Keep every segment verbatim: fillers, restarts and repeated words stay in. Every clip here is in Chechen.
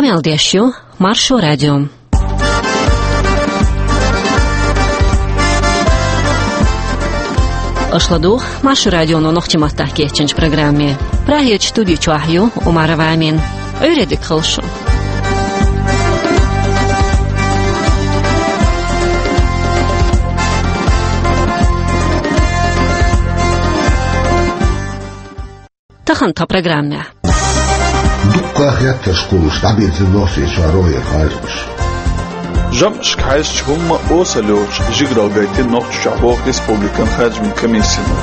Къамел деш ю Маршо радио. Аша ладугӀу Маршо радионо нохчийн маттахь кечйинчу программе. Прагерчу студи чохь ю Умарова Амина. Ӏуьйре дика хуьлда шун. Тахана тхан программехь. Дуккха а хеттарш кхуллуш дӀабирзина Нохчийчохь рогӀера харжамаш. ЖамӀашка хьаьжча хӀумма а осал йоцуш жигаралла гайтина Нохчийчохь боху республикан харжамийн комиссино.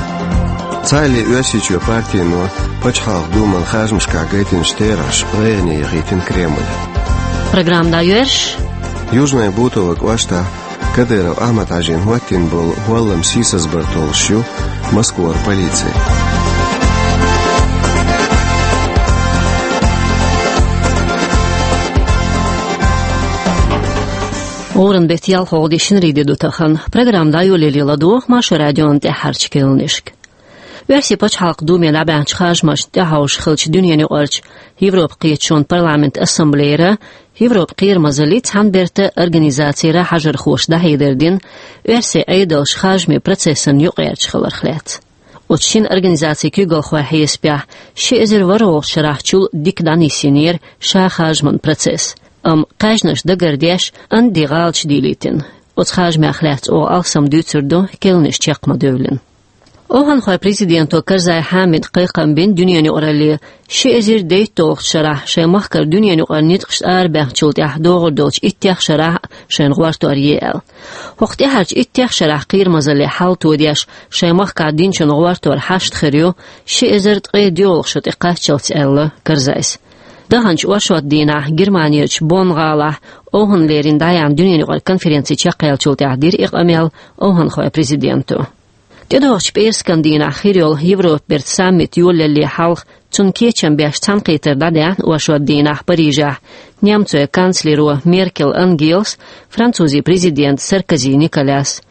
Цхьаалле Оьрсийчоь партино Пачхьалкхан Думан харжамашкахь гайтинчу терахьаша гӀайгӀане яхийтина Кремль. Программа дӀайоьрзуш. Южный Бутово кӀоштахь Кадыров Ахьмад-Хьаьжин хӀоттийна болу хӀоллам сийсазбар толлуш ю Москвара полици. ГӀуран беттан ялхолгӀа де, шинарин де ду тахана. Программа дӀайолале ладогӀа Маршо радион тӀаьххьарчу керланашка. Оьрсийн Пачхьалкхан Думе дӀабаьхначу харжамашна тӀехьовш хиллачу дуьненаюкъарчу Европан кхеташонан парламентан ассамблейра, Европан кхерамазаллин цхьана бертан организацийра хьажархоша дӀахьедар дина оьрсийн Ӏедалш харжамийн процессан юкъаерча хиларх лаьцна. Оцу шина организацин куьйгалхойн хьесапехь, ши эзар ворхӀалгӀачу шарахь чул дика дӀанисйинера ша харжаман процесс, амма кхаьжнаш дагардеш, анди гӀалаташ дийлийтина. Оцу харжамех лаьцна оха алсам дуьйцур ду, керланаш чекх ма-девлла. ОвхӀанхойн президенто Карзай Хьамида кхайкхам бина дуьненаюкъаралле, ши эзар дейтталгӀачу шарахь шайн махкара дуьненаюкъара ницкъашна арабаьхначул тӀаьхьа догӀур долчу иттех шарахь шайна гӀортор е аьлла. ХӀокху тӀаьхьарчу иттех шарахь кхерамазалле хьал тодеш, шайн махкахь динчун гӀортор хьашт хир ю ши эзар ткъе доьалгӀа шо тӀекхаччалц, аьлла Карзайс. Даханчу оршот дийнахь Германерчу Бонн гӀалахь овхӀанна лерина дӀаяьхьна дуьненаюкъара конференци чекхъяьллачул тӀаьхьа дира и къамел овхӀанхойн президенто. ТӀедогӀучу пӀераскан дийнахь хир йолу Европа бертан саммит йолалле хьалха, цунна кечам беш цхьаьнакхетар дӀадаьхьна оршот дийнахь Парижехь немцойн канцлеро Меркел Ангелас, французийн президента Саркози Николяс.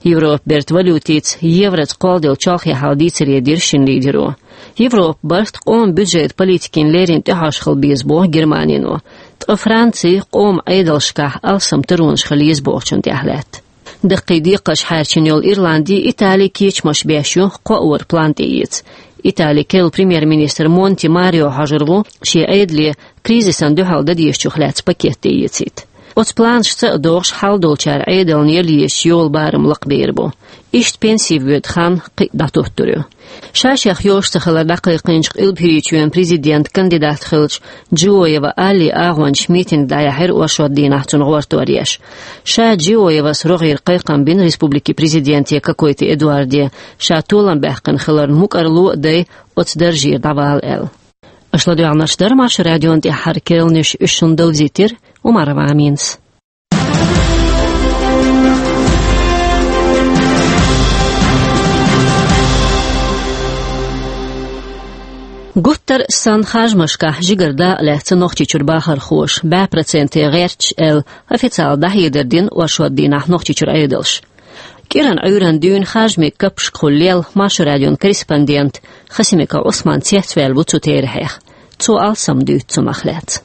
Европа бертан валютица, евроца кхолладелла чолхе хьал дийцаре дира шина лидеро. Европа барт къоман бюджетан политикина леррина тӀехьожуш хила беза боху Германино, ткъа Франци къоман Ӏедалшкахь алсам таронаш хила еза бохучунна тӀехь лаьтта. Даккхий декхарш хьаьрчина йолу Ирланди, Итали кечамаш беш ю кхооран план тӀеэца. Италин керла премьер-министр Монти Марио хьожур ву шен Ӏедале кризисан дуьхьал дан дезачух лаьцна пакет тӀеэцийта. Оцу планашца а догӀуш, хьал долчара Ӏедална яла езачу йолу барам лакхабер бу. Иштта пенси воьду хан кхин а дӀатуттур ю. Ша-шех йозуш ца хилар дӀакхайкхийначу Къилба ХӀирийчоьнан президентан кандидат хиллачу Джиоева Аллин агӀончаша митинг дӀаяьхьира оршот дийнахь цунна гӀортор еш. Ша Джиоевас рогӀера кхайкхам бина республикин президенте Кокойти Эдуарде, ша толам баьккхина хиларна мукӀарло а дай, оцу даржера дӀавала аьлла. Аша ладоьгӀнарш дара Маршо радион тӀаьххьара керланаш, уьш шуна довзийтира Умарова Аминас. Гуттар а санна харжамашкахь жигара дакъа лаьцна Нохчийчуьра бахархоша, бӀе проценте гӀерташ аьлла, официалан дӀахьедар дина оршот дийнахь Нохчийчуьра Ӏедалша. КӀиранан Ӏуьйранна дуьйна харжамийн каппашкахула лелла Маршо радион корреспондент Хасимиков Ӏусман цецваьлла ву цу терахьех. Цо алсам дуьйцу цунах лаьцна.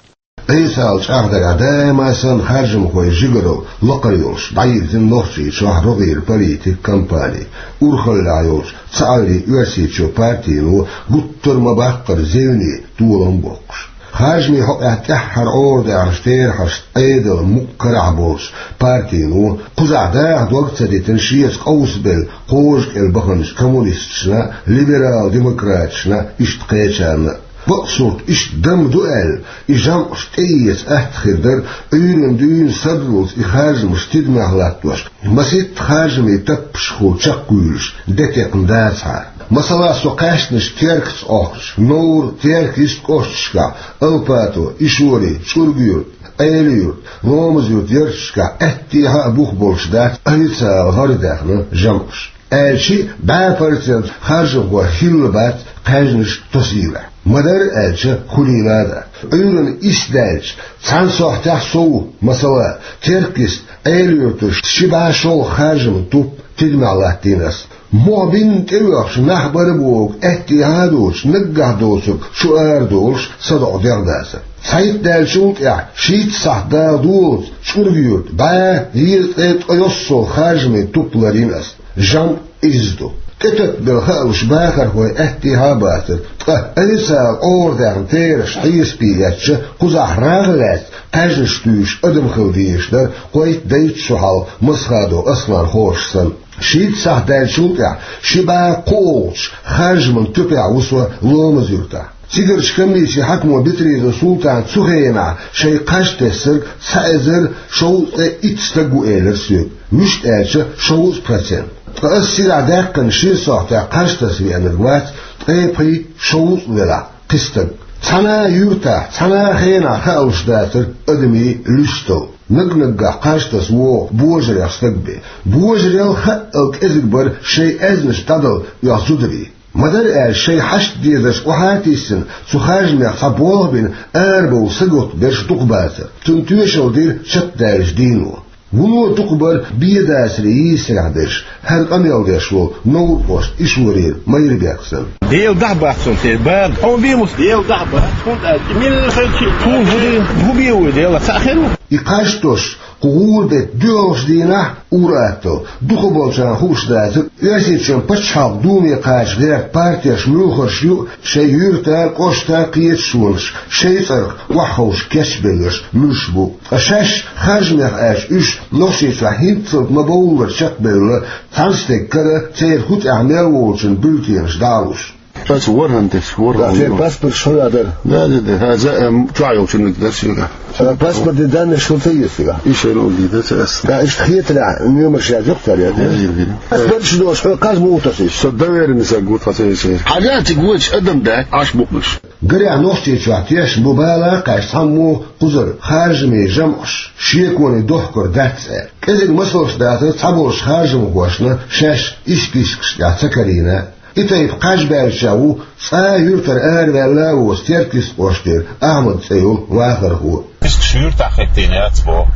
Ӏесалла чӀагӀдарехь, даима а санна харжамхойн жигаралла лакхара йолуш дӀайирзина Нохчийчохь рогӀера политикан кампани. Урхаллехь йолчу Цхьааллин Оьрсийчоь партино гуттар а ма-баккхара зевне толам боккхуш. Харжамийн хьокъехь тӀаьххьара Ӏорадаьхначу терахьашца Ӏедална мукъа карахь болчу партино кхузахь даха дог ца дитина шеца къовсабелла кхажа кӀел баханчу коммунисташна, либерал-демократашна, иштта кхечарна а. Бакъ сурт, иштта дама ду аьлла, и жамӀаш тӀеэца атта хир дара, Ӏуьйранна дуьйна сардаллалц и харжамаш тидамехь латтош, масийтта харжамийн таппашкахула чекхвуьйлуш, де текхна дацахьара. Масала, со кхаьчначу Теркаца Ӏохкучу Новр-, Теркйист кӀошташкахь, Алпато, Ишори, ЧӀурга-Юрт, Ӏела-Юрт, Ломаз-Юрт ярташкахь аьттехьа а бух болуш дац официалан гӀарадаьхна жамӀаш. Аьлча а, бӀе процент харжамхой хилла бац кхаьжнаш тосийлахь. Ма-дарра аьлча, хуьлийла а дац. Ӏуьйранна исс даьлча, цхьана сохьтехь сов, масала, Теркйист, Ӏела-Юрташ ши бӀе шолгӀа харжаман туп тидамехь латтийна ас. Мохь бинна тӀеоьхуш нах бара бохург аьттехьа а доцуш, наггахь доцург чу арадолуш, садоӀу дегӀ дацара. Цхьайтта даьллачул тӀаьхьа шийтта сахьт дала долаца ЧӀурга-Юрта бӀаь дезткъе ткъайоьсналгӀа харжамийн туп ларйина ас. ЖамӀ изза ду. ТӀетаттабелла хаалуш бахархой аьттехьа а бацара, ткъа официально къоврадаьхна терахьаш хьесапе эцча, кхузахь рагӀ лаьцна кхаьжнаш туьйсуш адам хила дезаш дара кхойтта-дейтта шо хьалха Масхадов Аслан ховшах санна. Шийтта сахьт даьллачул тӀаьхьа ши бӀаь кхоалгӀачу харжаман туьпехь ву со Ломаз-Юртахь. Цигарчу комиссин хьакимо Битриезов Султана цу хенахь шайн кхаж тесна цхьа эзар шовзткъе итт стаг ву элира соьга, муьста аьлча, шовзткъа процент. Ткъа ас цигахь даьккхина шина сохьтехь кхаж таса веанарг вац ткъе пхийтта-шовзткъа велахь кхин стаг. Цхьана а юьртахь, цхьана а хенахь хаалуш дацара адамийн луьстал. Наг-наггахь кхаж таса вогӀу божарех стаг бен. Божарел хаъал кӀезиг бара шайн аьзнаш дӀадала оьху зударий. Ма-дарра аьлча, шайн хьашт-дезарш охьа а тийсина, цу харжамех цхьа болх а бина, арабовла сагатта берш дукха бацара. Цунна тоьшалла дира чекхдаьллачу дийно. Вуно дукха бара бен дацаре йийсарехь берш, хӀара къамел деш волу Новр-кӀоштан Ишорера Майрбек санна. Дела дахьа бац хьуна те, бан. Хьуна бен мус? Дела дахьа бац, хӀунда аьлча милла хилчи. Хьуна хӀун де? ХӀун бен ву Дела? Цхьаъ хир ву? И кхаж тосуш, кху гӀура бетта доьалгӀачу дийнахь, ур-атталла, дукхахболчарна хууш дацара, Оьрсийчоьнан пачхьалкхан думе кхача гӀерта партеш муьлхарш ю шайн юьрта, кӀошта кхеташонаш шайн цӀарах охьаховшах кечбелларш муьлш бу. Ткъа шаьш харжамех аьлча, уьш Нохчийчохь хӀинццалц ма-бовллара чекхбевлла, цхьана стеган кара церан хӀу тӀехь мел волчун бюллетенаш дӀа а луш. Ас ворхӀан тесна, ворхӀан. Да, церан паспорт шуна дара. Да, да, да. Ха, за, эм, чохь йолчунна дара соьга. Э, паспортан данныйш хӀун ца еза соьга? И шайна уллий дац ас. Да, иштта хетарехь, номерш яздоккху цара, я? Еза, еза. Паспорт шу долуш, хьо кхаж муха тосу? Со доверенный саг ву тхан церан. Хьажа цига вочу адам дац, Ӏаш букънаш. Гарехь, Нохчийчохь тешна бу бала а кхаьчна цхьаммо кхузара харжамийн жамӀаш шеконе дохкур дац аьлла. КӀезиг масалш дацара цхьаболчу харжамхошна шаьш и спискашкахь ца карийна. И тайпа кхаж баьллачех ву цкъа а юьртара араваьлла а воцу Теркйист-кӀоштера Ахьмад цӀе йолу вахархо. Спискаш юьртахь хӀиттийна яц боху,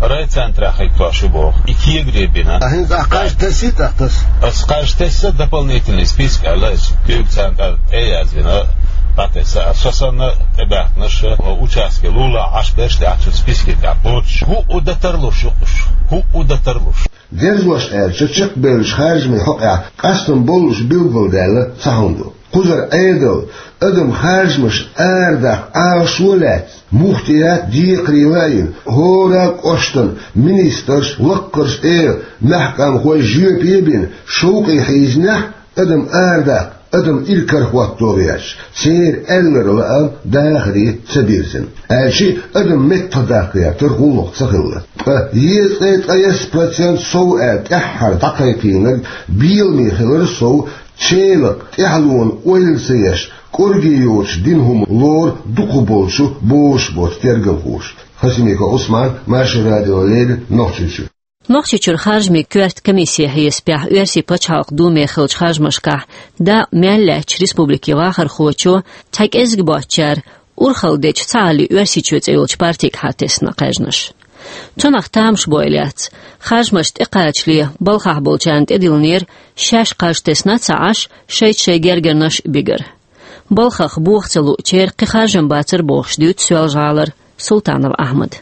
райцентрехь хӀиттош ю боху, и кегаре бина. А хӀинца ахь кхаж тесна, тӀаккха таса? Ас кхаж тесна, дополнительный список аьлла, ас куьйга царна тӀе а яздина, дӀатесна. Ас со санна тӀебаьхкинарш а, участке лулахь Ӏаш берш а дац цу спискехь боцуш. ХӀуъу дан тарлуш ю уьш, хӀуъу дан тарлуш. Дерзош аьлча, чекхбевллачу харжамийн хьокъехь къастам боллуш билгалдаьлла ца хӀума ду. Кхузара Ӏедал, адам харжамаш арадаккха Ӏалашо а лаьцна, муфтият декхаре лайина, хӀора кӀоштан министрш, лаккхарш а, мехкан къомахой жоьпе а бина, шовкъе хьийзинехь, адам арадаккха, адам иракарахӀотто гӀерташ, церан аьлларг лаам дахаре ца бирзина. Аьлча а адам меттахдаккха гӀертар гӀуллакх ца хилла. Ткъа езткъе ткъайесна процент сов аьлла тӀаьххьара дӀакхайкхийнарг беламе хилар сов, челакъ тӀаьхьалонан ойла ца еш, кӀорге йоцуш дина хӀума лору дукхахболчу бозуш боцу тергамхоша. Хасимиков Ӏусман, Маршо радиона леррина, Нохчийчуьра. Нохчийчуьра харжамийн коьрта комиссин хьесапехь, Оьрсийн пачхьалкхан думе хиллачу харжамашкахь дакъа мел лаьцначу республикин вахархочо, цхьа кӀезиг боцчара урхалла дечу Цхьааллин Оьрсийчоь цӀе йолчу партига хьатесна кхаьжнаш. Цунах тамашбойла яц, харжамаш тӀекхачале балхахь болчарна тӀедиллинера шаьш кхаж тесна а ца Ӏаш, шайца шайн гергарнаш а бигар. Балхах боха ца луучеран кхин харжам бацара бохуш дуьйцу Соьлжа-ГӀалара Султанов Ахьмада.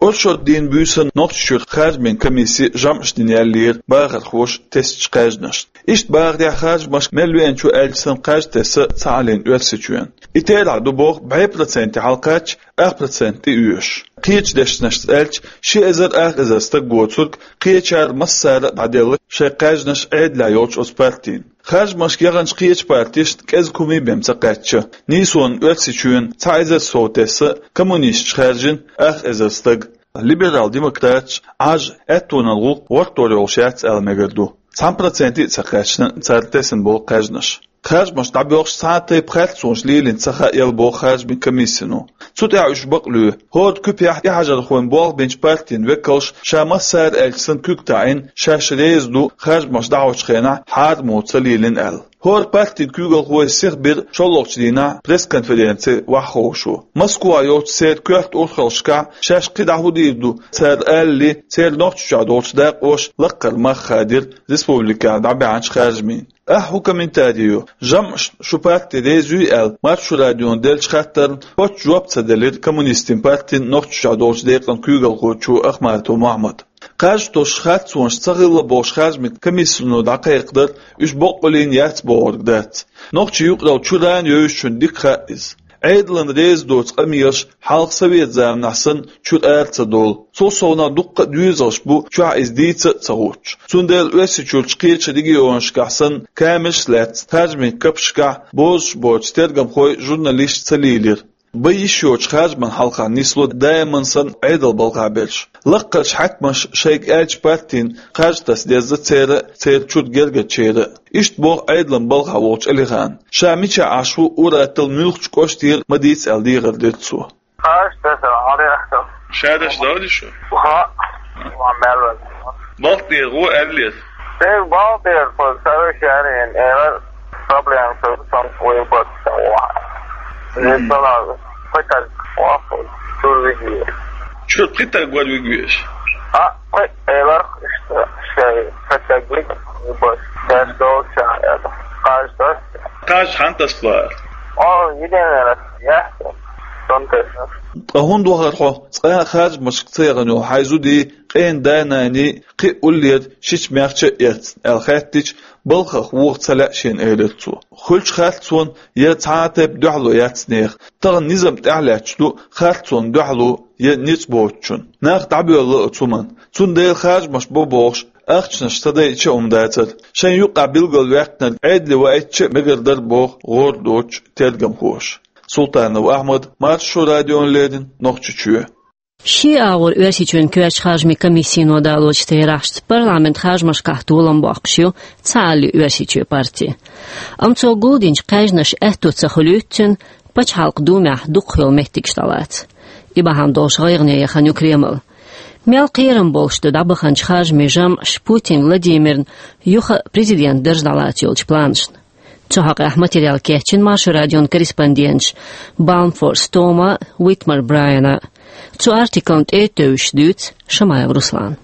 Оршот дийнан буьйсанна Нохчийчуьра харжамийн комиссе жамӀаш дина яьллера бахархоша тесначу кхаьжнашна. Иштта бахарехь, харжамашка мел веанчо аьлча санна кхаж тесна Цхьааллин Оьрсийчоьнан. И терахь ду боху бӀе проценте хьалакхаьчча, ах процент тӀеоьшуш. Кхечу дешнашца аьлча, ши эзар ах эзар стаг воцург, кхечара массара а дӀаделла шайн кхаьжнаш Ӏедалехь йолчу оцу партина. Харжамашка яханчу кхечу партешна кӀезиг хӀума бен ца кхаьчча, нийсонан Оьрсийчоьнан цхьа эзар сов тесна, коммунисташ хаьржина ах эзар стаг. Либерал-демократаш Ӏаж аьттонан гӀуллакх гӀортор йолуш яц аьлла мегар ду. Цхьана проценте а ца кхаьчна цара тесна болу кхаьжнаш. Харжамаш дӀабоьлхуш цхьа а тайпа харцонаш лелийна ца хаьа аьлла боху харжамийн комиссино. Цу тӀехь уьш бакълуьйху, хӀора куьпехь тӀехьажархойн болх бинчу партийн векалш ша массара аьлча санна куьг таӀийна, шаьш реза ду харжамаш дӀахьочу хенахь хьарам ца лелийна аьлла. ХӀора партин куьйгалхой сиха бира шоллагӀчу дийнахь пресс-конференци вахховшо. Москвахь йолчу церан коьрта урхаллашкахь шаьш кхин дӀа хӀун дийр ду, цара алале, церан Нохчийчохь долчу дакъоша лаккхара мах хадийра республикехь дӀабаьхьначу харжамийн. Ахьа хӀун комментари йо? ЖамӀаш шу парти реза юй аьлла, Маршо радиона деллачу хаттарна кхоччуш жоп ца делира коммунистийн партин Нохчийчохь долчу декъан куьйгалхочо Ахматов Мохьмада. Кхаж тосуш харцонаш ца хилла бохуш харжамийн комиссино дӀакхайкхадара, уьш боккъаллина яц бохург дац. Нохчийн юкъаралла чуьра а йовзачунна дика хаьа иза. Ӏедална реза доцу къамелаш хьалха совет заманахь санна чуьра ара ца долу. Цул совнаха дуккха а доьзалш бу чохь иза дийца а ца хӀуттуш. Цундела Оьрсийчуьрчу кхечу регионашкахь санна камераш а лаьцна, харжамийн капашкахь бозуш боцу тергамхой, журналисташ ца лийлира. Бан йиш йоцчу харжаман хьалха нисло даиман санна Ӏедалан балхахь берш. Лаккхарчу хьаькамаша шайга аьллачу партина кхаж таса деза церан а, церан чуьра гергарчеран а. Иштта боху Ӏедалан балхахь волчу Алихана. Ша мичахь Ӏаш ву, ур-атталла муьлххачу кӀоштера ма дийца аьлла дехар дира цо. Кхаж таса хьалха. Ша деш дали шу? ХӀаъ. Ма мел ван. Балх тӀера гӀо аьллера. Дерг балх тӀера, тхо сари шаьрин, эра проблема, со сан вай бат сан ван. Мгм. Здесь была хоть так, ваху, чур виги. Чур пхи таг вар вигвеш? А, кхе, элар, что, шей, хоть так виг, бат, шаш долча, это, кхаж таса. Кхаж хьан таса вара? О, единственный раз, я, сон таса. Ткъа хӀунда вахара хьо, цкъа а харжамашка ца яхана йолу хьайн зудий, къен да-наний, кхин а уллера шича мехча а эцна, аьлла хаьттича, балхах воха ца лаьа шена, элира цо. Хуьлучу харцонна я цхьа а тайпа дуьхьало яц нехан. Тахана низам тӀаьхьалаьтташ ду харцонна дуьхьало я ницкъ боцучунна. Нах дӀабоьлла оцу хӀуманна. Цундела харжамаш бо бохуш, ахчанаш ца дайча а хӀума дацара. Шайн юкъахь билгалваьккхинарг Ӏедале ваийтича а мегар дара боху гӀора доцучу тергамхоша. Султанов Ахьмад, Маршо радиона леррина, Нохчийчоь. Ши агӀор Оьрсийчоьнан коьртачу харжамийн комиссино далочу терахьашца парламентан харжамашкахь толам боккхуш ю Цхьааллин Оьрсийчоь парти. Амма цо гулдинчу кхаьжнаш аьтто ца хуьлуьйту цуьнан Пачхьалкхан Думехь дукхахйолу меттигаш дӀалаца. И бахьана долуш гӀайгӀане яхана ю Кремль. Мел кхерам болуш ду дӀабаханчу харжамийн жамӀаш Путин Владимирна юха а президентан дарж дӀалаца йолчу планашна. Цу хьокъехь материал кечйина Маршо радион корреспонденташа Баумфорс Тома, Уитмар Брайана. Цу артиклна тӀе а тевжаш дуьйцу Шамаев Руслана.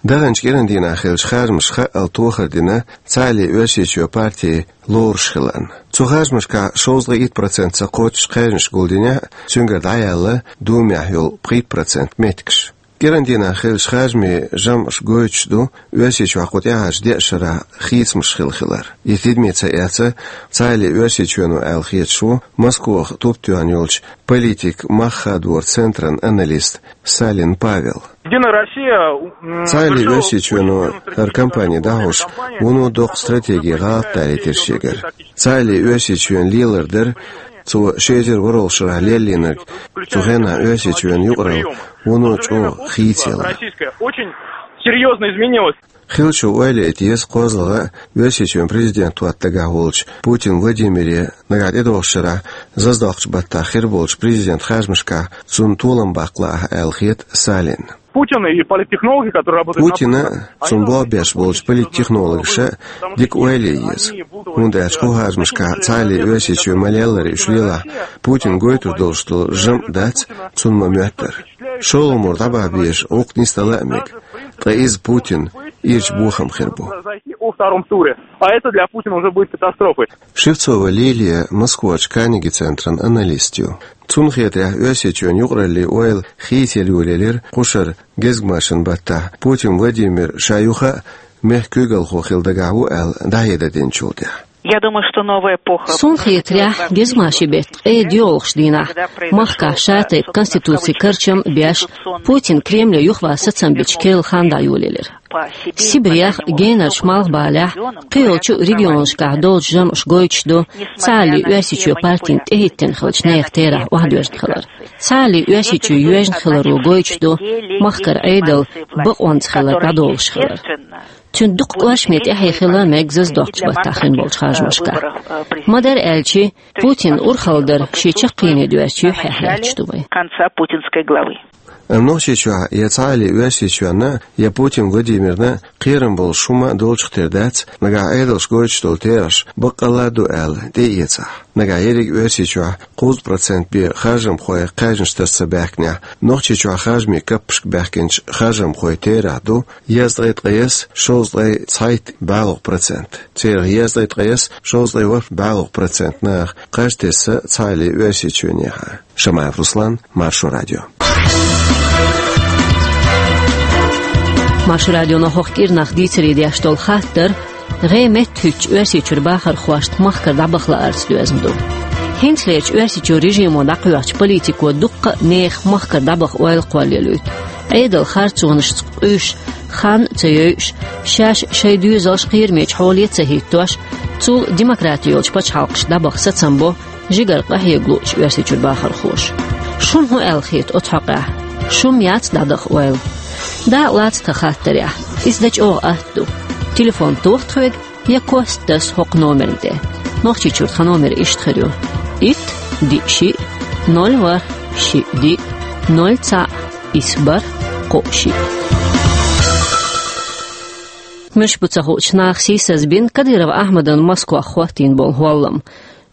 Даханчу кӀиран дийнахь хиллачу харжамаша хаъал тохар дина Цхьааллин Оьрсийчоь парти лоруш хиларна. Цу харжамашкахь шовзткъе итт процент ца кхоччуш кхаьжнаш гулдинехь а, цуьнгара дӀаяьлла Думехь йолу пхийтта процент меттигаш. КӀиран дийнахь хиллачу харжамийн жамӀаша гойтуш ду Оьрсийчохь кху тӀаьхьарчу деа шарахь хийцамаш хилла хилар. И тидаме ца эцна, Цхьааллин Оьрсийчоьно аьлла хеташ ву Москвахь туп тоьхна йолчу политикан мах хадоран центран аналист Салин Павел. Единая Россия, м, Цхьааллин Оьрсийчоьно хӀара кампани дӀахьош, вуно доккха стратегин гӀалат далийтира шегара. Цхьааллин Оьрсийчоьнан лелар дара цо ши эзар ворхӀалгӀачу шарахь леллийнарг, цу хенахь Оьрсийчоьнан юкъаралла вуно чӀогӀа хийцаялар. Российская очень серьёзно изменилась. Хиллачо ойла яйта еза кхозлагӀа а, Оьрсийчоьнан президент хӀотта дагахь волчу Путин Владимире нагахь тӀедогӀучу шарахь заздоккхучу баттахь хир болчу президентан харжамашкахь цунна толам баккха лаахь аьлла хета Салинна. Путин и политтехнологи, которые работают на Путина а, цунна болх беш болчу политтехнологаша а дика ойла ян еза. ХӀунда аьлча кху харжамашкахь Цхьааллин Оьрсийчоь ма-леллара уьш лелахь, Путина гойтур долуш долу жамӀ дац цунна ма-моьттара. ШолгӀа мур дӀабаха безаш гӀуллакх нисдала а мега. Ткъа иза Путинна ирча бохам хир бу. Произойти во втором туре. А это для Путина уже будет катастрофой. Шевцова Лилия Москварчу Карнеги центран аналист ю. Цунна хетарехь, Оьрсийчоьнан юкъараллин ойла хийцаялла йолаелира кху шарахь гезгмашин баттахь Путин Владимир ша юха а мехкан куьйгалхо хила дагахь ву аьлла дӀахьедар динчул тӀаьхьа. Я думаю, что новая эпоха. Суна хетарехь, гезгмашин беттан ткъе доьалгӀачу дийнахь махкахь шатайпа конституцин карчам а беш, Путин Кремле юхаван сацам бича керла хан дӀайолаелира. Сибрех, генарчу малхбалехь, кхийолчу регионашкахь долчу жамӀаша гойтуш ду Цхьааллин Оьрсийчоь партина тӀехӀиттина хиллачу нехан терахь охьадоьзна хилар. Цхьааллин Оьрсийчоь йоьжна хиларо гойтуш ду махкара Ӏедал бакъонца хилар дӀадолуш хилар. Цуьнан дукха кӀоршаме тӀаьхье хила мега заздоккхучу баттахь хин болчу харжамашкахь. Ма-дарра аьлча, Путинан урхалла дар шен чаккхене доьзначу юьххьехь лаьтташ ду вай. Конца путинской главы. Амма Нохчийчохь я цхьа а ле Оьрсийчоьнна, я Путин Владимирна кхерам болуш хӀума долчух тера дац, нагахь Ӏедалша гойтуш долу терахьаш баккъалла а ду аьлла, тӀеэцахь. Нагахь ерриг Оьрсийчохь кхузткъа процент бен харжамхой кхаьжнаш таса ца баьхкинехь, Нохчийчохь харжамийн каппашка баьхкинчу харжамхойн терахь ду дезткъе ткъайесна шовзткъе цхьайтта балгӀа процент. Церан дезткъе ткъайесна шовзткъе ворхӀ балгӀа процент нах кхаж тесна цхьа а ле Оьрсийчоьнехьа. Шамаев Руслан, Маршо радио. Маршо радионо хӀокху кӀирнах дийцаре деш долу хаттар гӀе меттахӀуьттучу Оьрсийчуьра бахархошна махкара дӀабаха лаарца доьзна ду. ХӀинцалерчу Оьрсийчоьнан режимо дӀакхоьхьучу политико дуккха а нехан махкара дӀабаха ойла кхоллаелуьйту. Ӏедалан харцонашца къуьйсуш, хан а ца йойуш, шаьш шайн доьзалш кхерамечу хьоле а ца хӀиттош, цул демократи йолчу пачхьалкхашна дӀабаха сацам бо жигара къахьега луучу Оьрсийчуьра бахархоша. Шуна хӀун аьлла хета оцу хьокъехь? Шун яц дӀадаха ойла? Дакъа лаца тхан хаттарехь, иза дан чӀогӀа атта ду. Телефон тоха тхоьга я кост таса хӀокху номерна тӀе. Нохчийчуьра тхан номер иштта хир ю: итт, диъ, шиъ, ноль, ворхӀ, шиъ, диъ, ноль, цхьаъ, исс, бархӀ, кхоъ, шиъ. Муьлш бу ца хуучу наха сийсаз бина Кадыров Ахьмадан Москвахь хӀоттийна болу хӀоллам.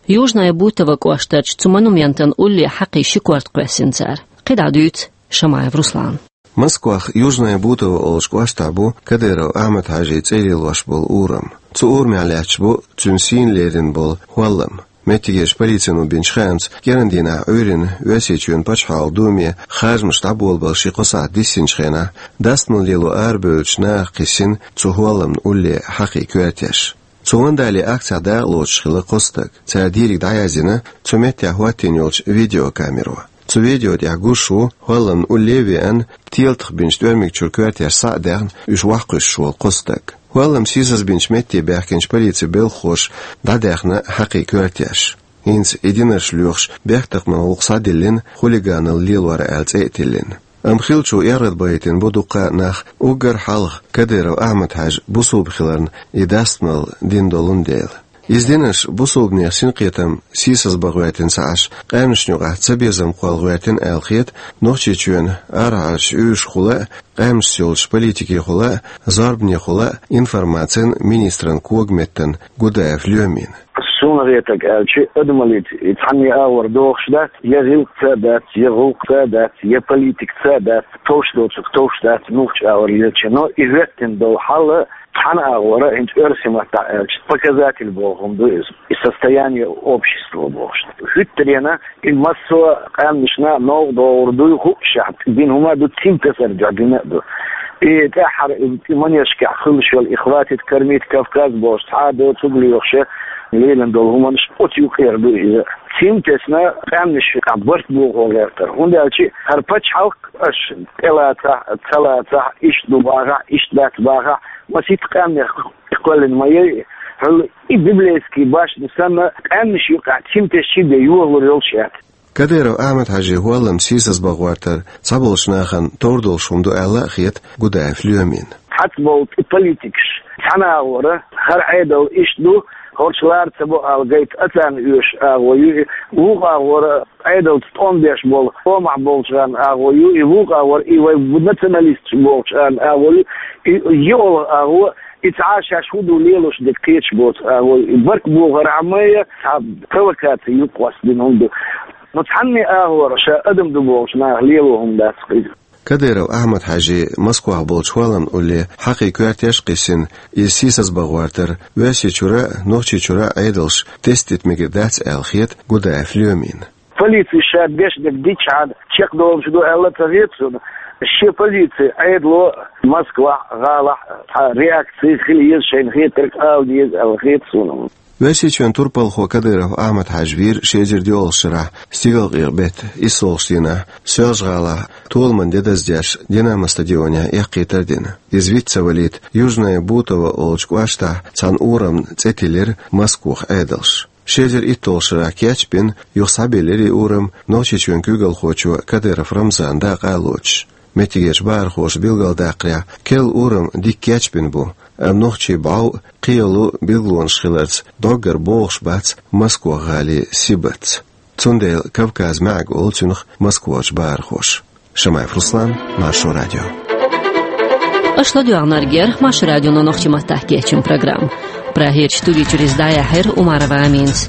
Южное Бутово кӀоштарчу цу монументан улле хьакхий ши корта кхоьссина цара. КхидӀа дуьйцу Шамаев Руслана. Москвахь Южное Бутово олучу кӀоштахь бу Кадыров Ахьмад-Хьаьжин цӀе лелош болу урам. Цу урамехь лаьтташ бу цуьнан сийна лерина болу хӀоллам. Меттигерчу полицино бинчу хаамца, кӀиран дийнахь Ӏуьйранна Оьрсийчоьнан пачхьалкхан думе харжамаш дӀаболабала ши-кхо сахьт диссинчу хенахь, дастамал лело арабевллачу наха кхиссина цу хӀолламна улле хьакхий коьртеш. Цу вандалан акцехь дакъалоцуш хилла кхо стаг. Цара дийриг дӀаяздина цу меттехь хӀоттийна йолчу видеокамеро. Цу видео тӀехь гуш ву хӀолламна улле а веана, телатах бинчу тӀоьрмиг чуьра коьртеш схьа а даьхна, уьш охьакхуьссуш волу кхо стаг. ХӀоллам сийсазбинчу метте баьхкинчу полицин белхахоша дӀадаьхна хьакхий коьртеш. ХӀинца и динарш лоьхуш, бехктакхаман гӀуллакх схьадиллина, хулиганалла лелор аьлла цӀе а тиллина. Амма хиллачо эргӀадбахийтина бу дуккха а нах, уггар хьалха Кадыров Ахьмад-Хьаьжа бусулба хиларна и дастамал дина долун дела. Иза динарш бусулбанех синкхетам сийсазбан гӀоьртина ца Ӏаш, къаьмнашна юкъахь цабезам кхолла гӀоьртина аьлла хета Нохчийчоьнан арахьарчу уьйрашхула а, къаьмнашца йолчу политикехула а, зорбанехула а информацин министран когаметтан Гудаев Лоьмина. Суна гӀетарг аьлча, адамаллица и цхьанне агӀор дохуш дац, я гӀиллакхца а дац, я гӀуллакхца а дац, я политикца а дац, товш доцург товш дац, муьлххачу агӀор лелча. Но и хӀоьттина долу хьал цхьана агӀора, хӀинца оьрсийн маттахь аьлча, показатель боху хӀума ду иза. И состояние общества бохуш. ХӀуьттаренна и массо а къаьмнашна новкъа догӀур дуй хууш, дина хӀума а ду, цим тесар дуьхьа дина а ду. И тӀаьххьара и манежашкахь хуьлуш йолу и «Хватит кормить Кавказ» бохуш, цхьа а доцург лоьхуш, лелийна долу хӀуманаш оцу юкъера ду иза. Цим тесна къаьмнаш юкъахь барт бохо гӀертар. ХӀунда аьлча хӀара пачхьалкх, аша тӀелацахь, ца лацахь, иштта ду бахахь, иштта дац бахахь, масийтта къаьмнех кхоьллина ма яй, хьуьлла и библейский башня санна, къаьмнаш юкъахь цим тесчий бен йохалур йолуш яц. Кадыров Ахьмад-Хьаьжин хӀоллам сийсазбан гӀоьртар цхьаболчу нахана товр долуш хӀума ду аьлла а хета Гудаев Лоьмина. Цхьацца болу тӀе политикаш цхьана агӀора, хӀара Ӏедал иштта ду, хӀорш лара ца бо ала гайта а царна оьшуш агӀо ю и, вукху агӀора Ӏедалца тӀом беш болу, тӀомахь болчарна агӀо ю и, вукху агӀора и вай националисташ бохучарна агӀо ю и, йоьалгӀа агӀо, и цхьа а шаьш хӀун ду лелош дерг кхеташ боцу агӀо ю и. Барт бохар Ӏамайя, цхьа провокаци юкъа къоьстина хӀума ду. Но цхьанне агӀора ша адам ду бохучу наха лело хӀума дац иза. Кадыров Ахьмад-Хьаьжин Москвахь болчу хӀолламна улле хьакхий коьртеш а кхиссина, иза сийсазбан гӀоьртар Оьрсийчуьра а, Нохчийчуьра а Ӏедалша тестдита мегар дац аьлла хета Гудаев Лоьмина. Полици ша деш дерг дичхьана чекхдолуш ду аьлла а ца хета суна. Шен позици Ӏедало Москвахь, гӀалахь цхьа реакци хила еза, шайна хетарг ала деза аьлла хета суна. Оьрсийчоьнан турпалхо Кадыров Ахьмад-Хьаьжа вийра ши эзар диъолгӀачу шарахь стигалкъекъа беттан иссолгӀачу дийнахь Соьлжа-ГӀалахь толаман де даздеш, Динамо стадионехь эккхийтар а дина. Иза виц ца валийта, Южное Бутово олучу кӀоштахь цхьана урамна цӀе тиллира Москвахь Ӏедалша. Ши эзар иттолгӀачу шарахь кечбина, юха схьабиллира и урам Нохчийчоьнан куьйгалхочо Кадыров Рамзана дакъа а лоцуш. Меттигерчу бахархоша билгалдаккхарехь, керла урам дика кечбина бу, амма нохчийн бӀов а, кхин йолу билгалонаш хиларца, доггара богӀуш бац Москва-гӀалин сибатца. Цундела Кавказ маьӀиг олу цунах Москварчу бахархоша. Шамаев Руслан, Маршо радио. Аша ладоагӀнаргера Маршо радионо нохчийн маттахь кечйина программа. Прагерчу студи чуьра иза дӀаяьхьира Умарова Аминас.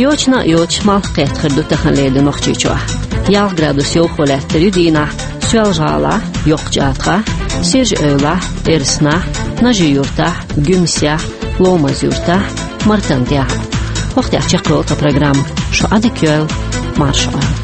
Йочана а йоцуш, малх кхетта хир ду тахана лерина Нохчийчохь. Ялх градус йовхо лаьттар ю дийнахь Соьлжа-ГӀалахь, Йоккхачу АтагӀахь, Сиржа-Эвлахь, Эрсанахь, Нажи-Юьртахь, Гуьмсехь, Ломаз-Юьртахь, Мартан-ТӀехь. ХӀокху тӀехь чекхйолу тхан программа. Шу Ӏадика йойла, марша Ӏойла.